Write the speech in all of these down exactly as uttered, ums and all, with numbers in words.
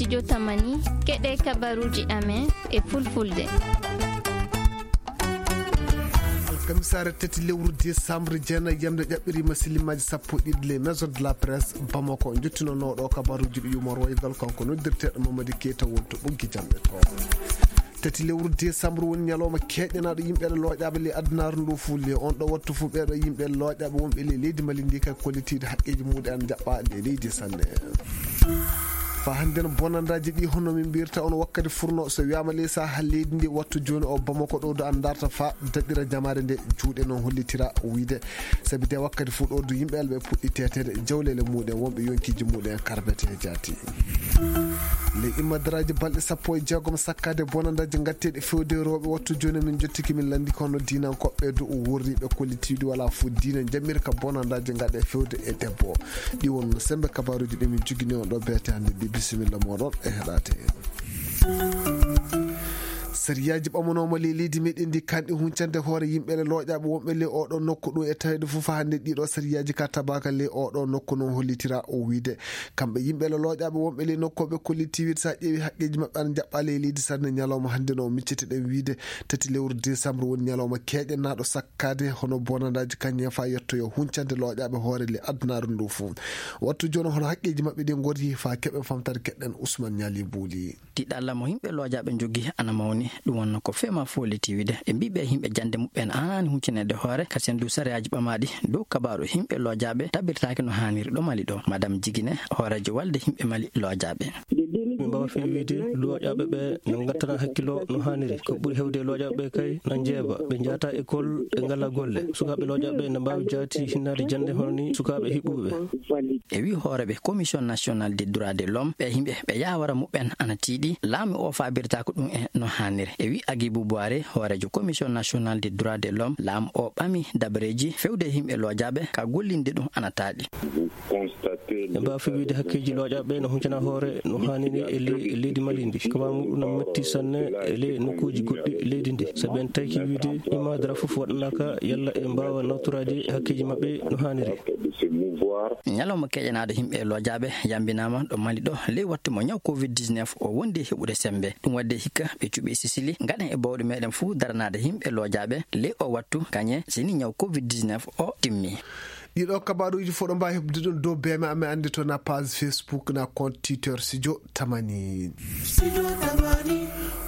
Studio Tamani, keɗe kabaruuji amen e fulfulde. Alkamisaare tati lewru décembre, jeenayi yamde ƴaɓɓiriima sillimaaji sappo e ɗiɗi les Maisons de la Presse Bamako. Njottinooɗo kabaruuji ɗi Yumar Waygal, kanko noddirteeɗo Mamadi Keita, woni to ɓoggi jamɗe to. Tati lewru décembre woni ñalawma keeƴanaaɗo yimɓe looƴaaɓe ley adunaaru ndu fuu. Ley on ɗo wattu fuu, ɓeeɗo yimɓe looƴaaɓe wonɓe ley leydi Mali ndi kay, kollitiiɗo haqqeeji muɗum ana jaɓɓa ley leydi sanne. Faa hannde no bonandaaji ɗi, hono min mbirta on wakkati furnoo, so wiyaama ley saaha leydi ndi, wattu jooni o Bamako ɗo du ana darta faa daɗira jamaare nde, juuɗe noon hollitira wiyde. Sabi de wakkati fuu ɗo du yimɓe alɓe puɗɗi teteede, jawleele muɗum, wonɓe yonkiiji muɗum karbete jaati. Ley immadaraaji balɗe sappo e jeegom sakkaade bonandaaji ngatteeɗi fewde rewɓe, wattu jooni min njottiki min lanndii kono diinankoɓe du worriiɓe kollitiiɗi wala fuu diina njamirka bonandaaji ngaɗe fewde e debbo. Ɗi won sembe kabaruuji ɗi min jogini on ɗo beete hannde ɗi. Bisimilla moɗon e heɗaade. Sariyaaji ɓamanooma ley leydi meɗen ndi kanɗi huncande hoore yimɓe le looƴaaɓe wonɓe ley oɗo nokku ɗum e taweede fof hannde ɗiɗo sariyaaji ka tabaka ley oɗo nokku noon hollitira o wiyde kamɓe yimɓe le looƴaaɓe wonɓe ley nokku ɓe kolliti wiyde sa ƴeewi haqqeeji maɓɓe ana jaɓɓa ley leydi sanne. Ñalawma hannde no miccete ɗen wiyde tati lewru décembre woni ñalawma keeƴanaaɗo sakkaade hono bonandaaji kañum fa yettoyo huncande looƴaaɓe hoore le adunaaru ndu fof. Wattu jooni hono haqqeeji maɓɓe ɗi ngorri fa keɓe famtare keɗɗen Ousmane Ñaali Buuli. Tiɗalla mo yimɓe looƴaaɓe njogii ana mawni. Ɗum wonno ko fema fooli tiwide. Ɓe mbii ɓe yimɓe jannde muɓɓen aani huccineede hoore, kasen du sariyaaji ɓamaaɗi dow kabaaru yimɓe looƴaaɓe tabirtaaki no haaniri ɗo Mali ɗo. Madame Jigine, hooreejo walde yimɓe Mali looƴaaɓe. Min mbaawa fii wiyde looƴaaɓe ɓe no ngattana hakkilo no haaniri. Ko ɓuri heewde e looƴaaɓe ɓe kay na njeeba, ɓe njaata école, ɓe ngalaa golle. Sukaaɓe looƴaaɓe na mbaawi jaati hinnaade jannde hono ni sukaaɓe hiɓɓuɓe. E wii hooreeɓe Commission Nationale des Droits de l'Homme, ɓe yimɓe ɓe yaawara muɓɓen ana tiiɗi, laamu o faabirtaako ɗum e no haaniri. E wii Agibu Buwaare, hooreejo Commission Nationale des Droits de l'Homme, laamu o ɓami dabareeji fewde yimɓe looƴaaɓe ka gollinde ɗum ana taaɗi. Ɓe mbaawi fii wiyde hakkeeji looƴaaɓe no huncana hoore no haaniri e ley, e leydi Mali ndi. Ko ɓaawo muɗum no metti sanne e ley nokkuuji goɗɗi leydi ndi. Sabi en tawki wiyde imma dara fof waɗanaaka yalla e mbaawa nawtoraade hakkeeji maɓɓe no haaniri. Ñalawma keƴanaaɗo yimɓe e looƴaaɓe yambinaama ɗo Mali ɗo ley wattu mo ñaw covid dix-neuf o wondi e heɓude sembe. Ɗum waɗde hikka ɓe cuɓi Sisili ngaɗen e bawɗe meɗen fuu daranaade yimɓe looƴaaɓe ley o wattu kañe sini ñaw covid dix-neuf o timmi. Ɗiɗo kabaruuji fof ɗo mbaawi heɓde ɗum dow beeme amen anndi to na page Facebook na compte Twitter Studio Tamani.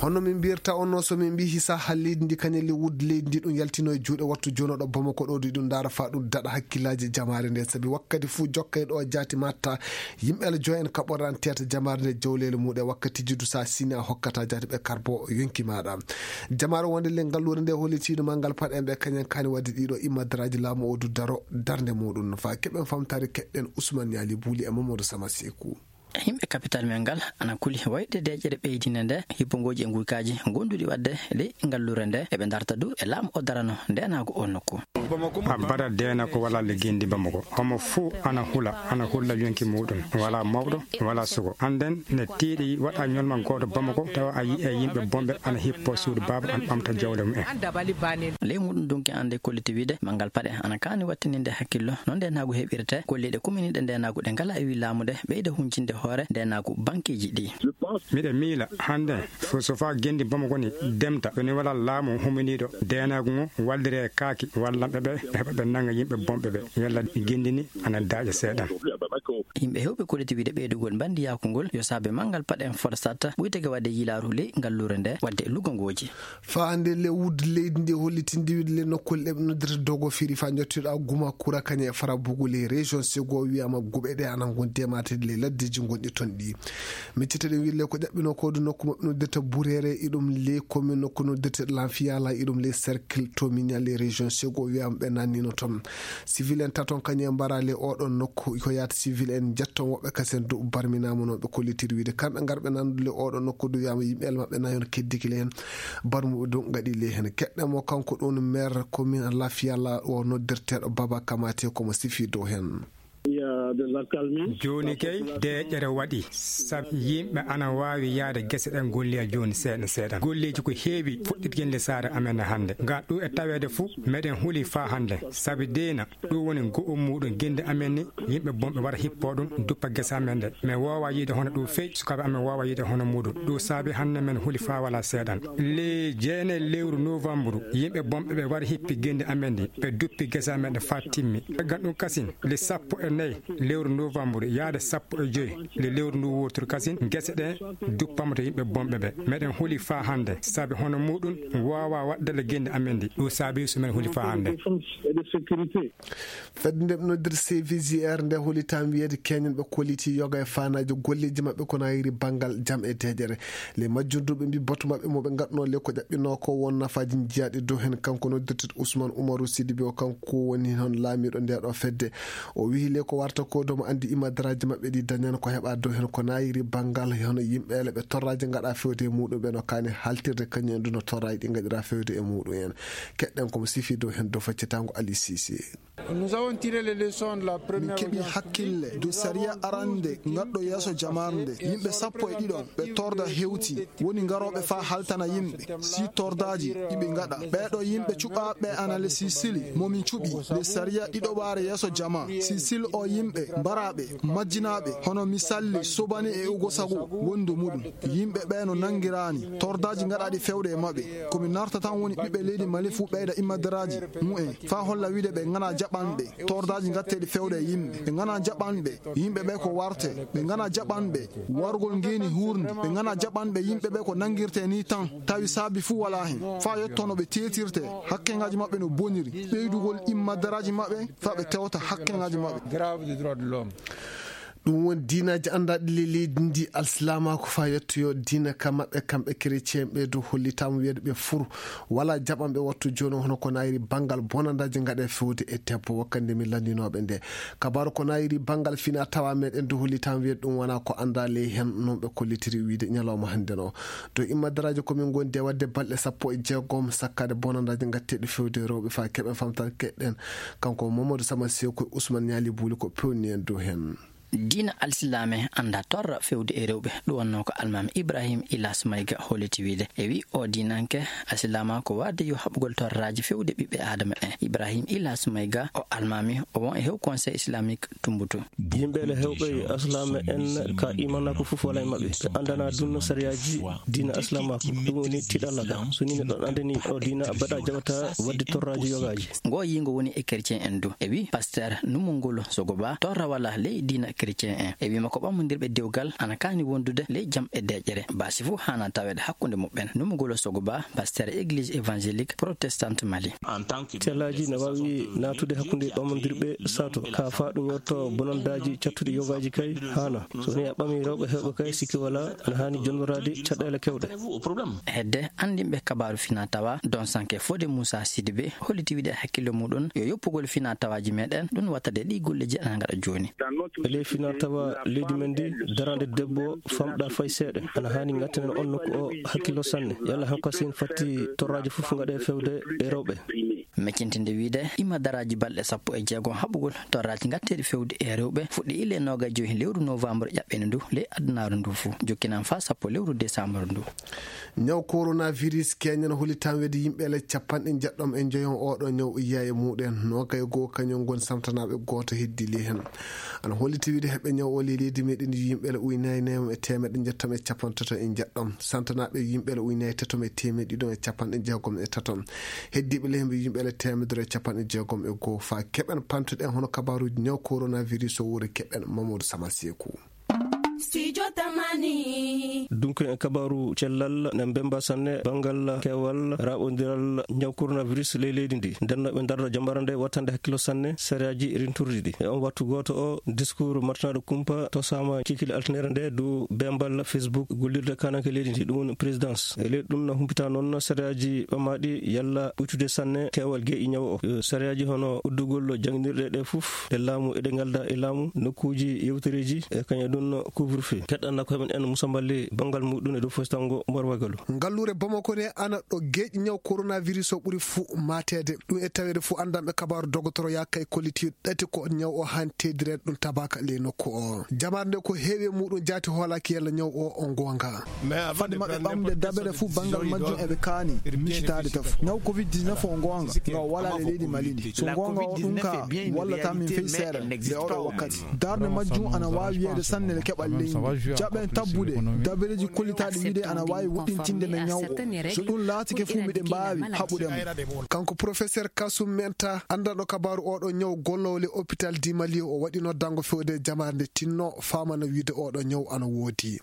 Hono min mbirta on no so min mbii hisa ha leydi ndi kañum le wudde leydi ndi ɗum yaltino e juuɗe wattu jonoɗo Bamako ɗo di ɗum ndaara fa ɗum daɗa hakkillaaji jamaare nde sabi wakkati fuu jokkay ɗo jaati matta yimɓe ala joyen kaɓoran tiyata jamaare nde jawleele muɗe wakkati jiddu sa sini a hokkata jaati ɓe karbo yonki maɗa. Jamaare wonde le ngalluure nde hollitiino ma ngal paɗen ɓe kañen kaani wadde ɗiɗo immadaraaji laamu o du daro darnde muɗum no faa keɓen famtaare keɗɗen Ousmane Yaali Buuli e Mamadou Sama Seeku. Yimɓe kapital men ngal ana kuli wayde deeƴere ɓeydinde nde hippogooji e nguykaaji gonduɗi waɗde ley ngalluure nde eɓe darta du e laamu o darano ndeenaagu o nokku. Abada deena ko wala le gendi Bamako. Homo fuu ana hula, ana hulla yonki muɗum. Wala mawɗo, wala sugo. Anden ne tiiɗi waɗa ñolma gooto Bamako tawa a yi'e yimɓe bomɓe ana hippo suudu baaba an ɓamta jawle mumen. Ley muɗum donki ande kolliti wiide mangal paɗe ana kaani wattininde hakkillo no ndeenaagu heɓirte golliɗe kuminiɗe ndeenaagu ɗe ngala e wi laamu nde ɓeyda huncinde hoore ndeenaagu bankeeji ɗi. Miɗe miila hande fo so fa gendi Bamako ni demta woni wala laamu huminiɗo deenaagu ngo wallire kaaki wallanɓe ɓe ɓe heɓa ɓe nanga yimɓe bomɓe ɓe yalla gendi ni ana daaƴa seeɗan. Yimɓe hewɓe kolliti wiide ɓeydugol mbandiyaaku ngol yo saabe mangal paɗen foɗa satta ɓuyteke wadde yilaaru ley ngalluure nde wadde lugongooji. Faa hannde le wudde leydi ndi hollitinde wiide le nokkuule ɗe ɓe noddirta dogo firi faa njottiɗo guma kura kañe e fara bugu le région sego wiyama guɓe ɗe ana gondi e matede le laddeji gonɗi toon ɗi. Miccete ɗen wiide le ko ƴaɓɓino ko du nokku maɓɓe noddirta burere iɗum le commune nokku noddirta lanfiyala iɗum le cercle to miña le région sego wiyama ɓe nannino toon. Civil en taton kañum en mbara le oɗon nokku ko yaata civil en jetton woɓɓe kasen du barminama noon ɓe kollitiri wiide kamɓe ngarɓe nandude le oɗon nokku du wiyama yimɓe el maɓɓe nayon keddiki le hen barmuɓe du gaɗi le hen keɗɗe mo kanko ɗum maire commune lafiyala o noddirteɗo Baba Kamate komo sifi dow hen. Jooni kay, deeƴere waɗi, sabu yimɓe ana waawi yahde gese ɗen golloya jooni seeɗa seeɗa. Golleeji ko heewi fuɗɗitgol e saare amen hannde. Ngal ɗum e taweede fuu, meɗen huli faa hannde, sabu diina, ɗum woni go'o muuɗum gende amen ni, yimɓe bonɓe wara hippoo ɗum, duppa gese amen ɗe. Men woowaa yiide hono ɗum fey, sukaaɓe amen woowaa yiide hono muuɗum. Ɗum saabi hannde men huli faa walaa seeɗan. Le jeenayi lewru novembre, yimɓe bonɓe ɓe wari hippi gende amen ɗi, ɓe duppi gese amen ɗe faa timmi. Caggal ɗum kasin, le sappo e nayi lewru novembre yaade sappo e joy le lewru ndu wooturu kasin, gese ɗe duppama to yimɓe bonɓe ɓe. Meɗen huli faa hannde, sabi hono muuɗum woowaa waɗde le gende amen ɗi. Ɗum saabi so men huli faa hannde. Fedde nde ɓe noddir C V G R nde holi tan wiyeede keñen ɓe kolliti yoga e faanaaji golleeji maɓɓe ko nayiri banngal jam e deeƴere. Le majjunduɓe mbi boto maɓɓe mo ɓe ngatno le ko ƴaɓɓinoo ko won nafaaji jiyaaɗi dow heen. Kanko noddirteeɗo Ousmane Oumarou Sidibé o, kanko woni hon laamiiɗo nde ɗo fedde. O wiyi le ko warta ko dow mo anndi imadaraaji maɓɓe ɗi dañan ko heɓa dow heen ko nayiri banngal hono yimɓe le ɓe torraaji ngaɗa fewde e muuɗum ɓe no kaani haltirde kañum en ɗum no torraaji ɗi ngaɗira fewde e muuɗum en. Keɗɗen ko mo sifi dow heen dow faccitango Ali Cissé. Nous avons tiré les leçons de la Min première keɓi audience hakkille publique. Dow sariya arande ngatɗo yeeso jamarnde. Yimɓe sappo e ɗiɗo ɓe torda hewti, woni ngarooɓe faa haltana yimɓe si tordaaji ɗi ɓe ngaɗa. Ɓeeɗo yimɓe cuɓaaɓe ana le Sisili mo min cuɓi le sariya ɗiɗoɓaare yeeso jama. Sisili o yimɓe mbaraaɓe, majjinaaɓe, hono misalli Sobani e Ugo Sagu wondu muɗum. Yimɓe ɓe no nangiraani tordaaji ngaɗaaɗi fewde e maɓɓe. Ko mi narta tan woni ɓiɓɓe leydi Mali fuu ɓeyda imadaraaji mu'en faa holla wiide ɓe ngana jaɓanɓe tordaaji ngatteeɗi fewde e yimɓe. Ɓe ngana jaɓanɓe yimɓe ɓe ko warte. Ɓe ngana jaɓanɓe wargol ngeeni huurndi. Ɓe ngana jaɓanɓe yimɓe ɓe ko nangirtee nii tan, tawi saabi fuu walaa heen. Faa yetto no ɓe teetirtee, hakkeŋaaji maɓɓe no boniri, ɓeydugol imadaraaji maɓɓe faa ɓe tewta hakkeŋaaji maɓɓe. Grave des droits de l'homme. Ɗum woni diinaaji anndaaɗi le leydi ndi alsilaamaaku faa yettoyoo diina ka maɓɓe kamɓe kerecien ɓe dow hollitaama wiyeede ɓe furu walaa jaɓanɓe wattu jooni hono ko nayiri banngal bonandaaji ngaɗe fewde e debbo wakkande min lanndinooɓe nde. Kabaaru ko nayiri banngal fina tawa meɗen dow hollitaama wiyeede ɗum wonaa ko anndaa ley heen non ɓe kollitiri wiide ñalawma hannde no. Dow immadaraaji ko min ngondi e waɗde balɗe sappo e jeegom sakkaade bonandaaji ngatteeɗi fewde rewɓe faa keɓen famtaade keɗɗen. Kanko Mamadou Sama Seeku e Ousmane Ñaali Buuli ko pewni en dow heen. Diina alsilaame anndaa torra fewde e rewɓe. Ɗum wonnoo ko almaami Ibrahim Ilas Mayga holliti wiide. E wi o diinanke alsilaama ko waɗde yo haɓugol torraaji fewde ɓiɓɓe Aadama en. Ibrahim Ilas Mayga o almaami o won e hew Conseil Islamique Tumbutu. Yimɓe le hewɓe alsilaame en ka imanako fof wala e maɓɓe. Ɓe anndana dunno sariyaaji diina alsilaamaaku. Ɗum woni tiɗalla ka. So ni neɗɗo anndani o diina baɗa jaɓata waɗde torraaji yogaaji. Ngo yingo woni e chrétien en du. E wi pasteur Numungolo Sogoba torra wala ley diina chrétien en. E wi makko ɓammondirɓe dewgal ana kaani wondude ley jam e deeƴere. Basi fof hana taweede hakkunde muɓɓen. Numungolo Sogoba, pasteur église évangélique protestante Mali. Tellaaji ne waawi naatude hakkunde ɓammondirɓe sato. Ka faa ɗum yotto bonandaaji cattuɗi yogaaji kay hana. So ni a ɓami rewɓe hewɓe kay sikki wala ana haani jonnoraade caɗeele kewɗe. Hedde anndinɓe kabaaru fina tawa, Don Sanke Fode Moussa Sidibé holliti wiide hakkille muɗum yo yoppugol fina tawaaji meɗen, ɗum wattade ɗi golleji ana ngaɗa jooni. E ley fina tawa leydi men ndi, darande debbo famɗa fay seeɗa. Ana haani ngattinen on nokku o hakkillo sanne. Yalla hanko sin fatti torraaji fof ngaɗe fewde e rewɓe. Meccintinde wiide, imadaraaji balɗe sappo e jeegom haɓugol torraaji ngatteeɗi fewde e rewɓe fuɗɗi ile noogajoy lewru novembre ƴaɓɓeende ndu ley adunaaru ndu fof. Jokkinan faa sappo lewru décembre ndu. Ñaw coronavirus keñen holi tan weedi yimɓe le capanɗe jeɗɗom e njoyon oɗo ñaw iya e muɗen. Noogay goo kañum ngon samtanaaɓe gooto heddi le heen. Ana holliti wiide heɓɓe ñaw o ley leydi meɗen yimɓe le uynaayi nayom e teemeɗɗe njettom e capanɗe tato e jeɗɗom. Samtanaaɓe yimɓe le uynaayi tatom e teemeɗɗe ɗiɗom e capanɗe jeegom e tatom. Heddiiɓe le hemɓe yimɓe le teemedere e capanɗe jeegom e goo. Faa keɓen pantuɗen hono kabaaruuji ñaw coronavirus o wuuri keɓen Mamadou Sama Seeku. Studio Tamani. Dunko en kabaaru cellal ne mbemba sanne banngal keewal raɓondiral ñaw coronavirus ley leydi ndi. Nden no ɓe darda jambara nde wattande hakkilo sanne sariyaaji rinturɗi ɗi. E on wattu gooto o, discours martanaɗo kumpa to sama kikil altinere nde du bembal Facebook gollirde kananke leydi ndi, ɗum woni présidence. E ley ɗum na humpita noon sariyaaji ɓamaaɗi yalla ɓuytude sanne keewal geeƴi ñaw o. Sariyaaji hono uddugol jannginirɗe ɗe fof ɗe laamu eɗe ngalda e laamu, nokkuuji yewtereeji e kañum ɗum Rufi. Keɗɗanna koye men en Moussa Mballe banngal muɗum e dow fostan ngo Mboorwagalu. Ngalluure Bamako ne ana ɗo geeƴi ñaw coronavirus o ɓuri fuu maateede. Ɗum e taweede fuu anndanɓe kabaaru dogotoro yaa kay kollitiiɗo ɗati ko ñaw o haani teedireede ɗum tabaaka ley nokku o. Jamaare nde ko heewi e muɗum jaati hoolaaki yalla ñaw o o goonga. Fadde maɓɓe ɓamde dabere fuu banngal majjum eɓe kaani micitaade taf. Ñaw covid dix-neuf o goonga nga o walaa le leydi Mali ndi. So goonga o ɗum ka wallata min fey seeɗa le oɗo wakkati. Darnde majjum ana waawi wiyeede sanne le keɓal leydi ndi. Jaɓen tabbude dabereeji kollitaaɗi wiide ana waawi woɗɗintinde men ñaw o. So ɗum laatike fuu miɗen mbaawi haɓude mo. Kanko professeur Kasum Menta, anndanɗo kabaaru oɗo ñaw golloowo le hôpital di Mali, o waɗi noddango fewde jamaare nde tinno faamana wiide oɗo ñaw ana woodi.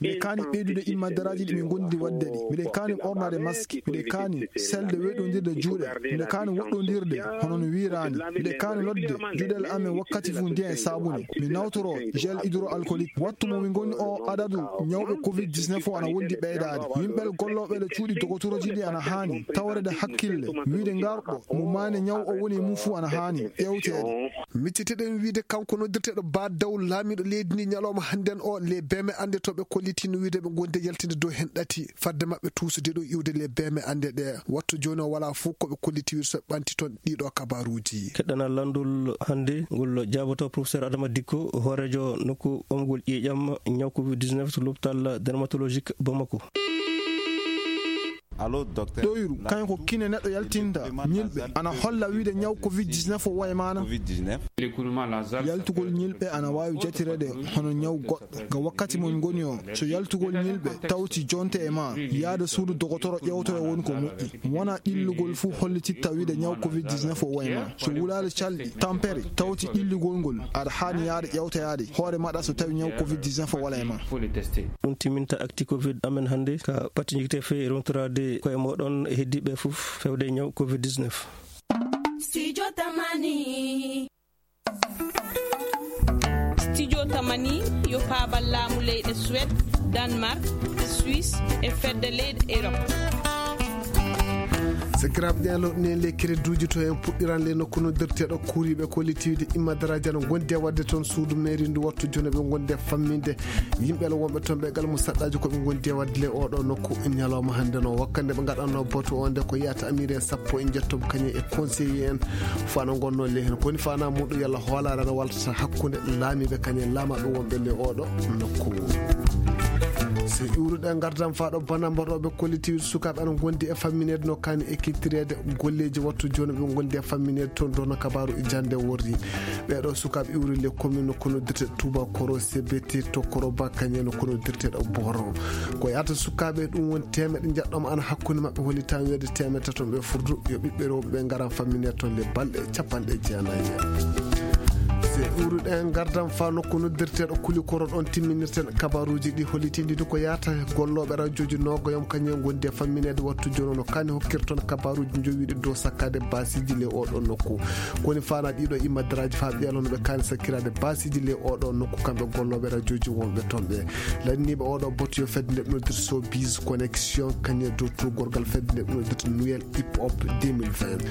Miɗen kaani ɓeydude immadaraaji ɗi min ngondi waɗde ɗi. Miɗen kaani ɓornaade maski. Miɗen kaani selde weɗondirde juuɗe. Miɗen kaani woɗɗondirde hono no wiiraani. Miɗen kaani lotde juuɗel amen wakkati fuu ndiyan e saabune. Mi nawtoro gel hydroalcoolique. Wattu mo min ngoni o adadu ñawɓe covid dix-neuf o ana wondi ɓeydaade. Yimɓe gollooɓe le cuuɗi dogotorooji ɗi ana haani tawreede hakkille. Wiide ngarɗo mo maande ñaw o woni e mum fuu ana haani ƴeewteede. Micciteɗen wiide kanko noddirteeɗo Ba Daw laamiiɗo leydi ndi ñalawma hannden o le beme annde to ɓe kollitino wiide ɓe ngondi e yaltinde dow heen ɗati fadde maɓɓe tuusude ɗo iwde le beme annde ɗe. Wattu jooni o walaa fof ko ɓe kolliti wiide so ɓe ɓanti toon ɗiɗo kabaaruuji. Keɗɗanal lanndol hannde ngol jaaboto professeur Adama Dikko, hooreejo nokku ɓamgol ƴiiƴam ñaw covid dix-neuf to l'hôpital dermatologique Bamako. Ɗoyru kañum ko kine neɗɗo yaltinta ñilɓe ana holla wiide ñaw covid dix-neuf o waye maana. Yaltugol ñilɓe ana waawi jatireede hono ñaw goɗɗo. Ga wakkati mo min ngoni o, so yaltugol ñilɓe tawti jonte e ma, yaada suudu dogotoro ƴeewtoya woni ko moƴƴi. Wona ɗillugol fuu hollititta wiide ñaw covid dix-neuf o waye ma. So wulaali calɗi, tampere, tawti ɗillugol ngol, aɗa haani yaade ƴeewtoyaade hoore maɗa so tawi ñaw covid dix-neuf o wala e ma. Ɗum timminta actu covid amen hannde ka pati jikte fe rontoraade koye moɗon e heddiiɓe fof fewde ñaw covid dix-neuf. Studio Tamani. Studio Tamani yo paabal laamu leyɗe Suède, Danemark, Suisse e fedde leyɗe Europe. Sakiraaɓe, ɗen lowɗi en le crédit uji to en puɗɗiran le nokku noddirteeɗo kuuriiɓe kollitiiɗi immadaraaji ana ngondi e waɗde toon suudu mairie ndu wattu jooni ɓe ngondi e famminde yimɓe le wonɓe toon ɓe gal mo saɗɗaaji ko ɓe ngondi e waɗde le oɗo nokku ñalawma hannde no wakkande ɓe ngaɗanno batu o nde ko yiyata amiiren sappo e njetto kañum e conseiller en. Fana gonno le heen koni fana muɗum yalla hoolaare ana waltata hakkunde laamiiɓe kañum laamaɓe wonɓe le oɗo nokku. So iwruɗe ngardam faa ɗo bana mbaɗooɓe kollitiiɗi sukaaɓe ana ngondi e fammineede no kaani ekitireede golleeji wattu jooni ɓe ngondi e fammineede toon dono kabaaru e jannde worri. Ɓeeɗo sukaaɓe iwri le commune no kono dirte Touba Koro C B T to Koro Ba kañum no kono dirte ɗo Boro. Ko yaata sukaaɓe ɗum woni teemeɗe njaɗɗooma ana hakkunde maɓɓe holli tan weede teemeɗe tato ɓe furdu yo ɓiɓɓe rewɓe ɓe ngaran fammineede toon le balɗe capanɗe jeenayi. Se iwruɗen ngardam faa nokku noddirteeɗo Kuli Koro ɗoon timminirten kabaaruuji ɗi hollitindini ko yaata gollooɓe rajooji noogoyam kañum ngondi e fammineede wattu jooni no kaani hokkir toon kabaaruuji njowiiɗi dow sakkaade baasiiji le oɗo nokku. Koni faana ɗiɗo immadaraaji faa ɓeelo no ɓe kaani sakkiraade baasiiji le oɗo nokku kamɓe gollooɓe rajooji wonɓe toon ɓe. Lanniiɓe oɗo batu yo fedde nde ɓe noddirta Showbiz Connection kañum e dow tuugorgal fedde nde ɓe noddirta Nouvelle Hip Hop deux mille vingt.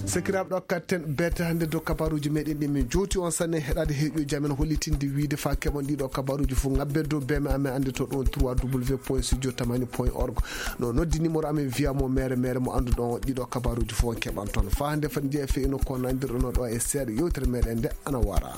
Sakiraaɓe ɗo katten beete hannde dow kabaaruuji meɗen ɗi min jooti on sanne heɗaade heeƴuji amen hollitinde wiide faa keɓon ɗiɗo kabaaruuji fof ngabbe dow beme amen annde to ɗon trois w point studio tamani point org. No noddi numéro amen wiya mo mere mere mo annduɗon ɗiɗo kabaaruuji fof on keɓan toon. Faa hannde fati jeeya feyino ko nandirɗono ɗo e seeɗa yewtere meɗen nde ana wara.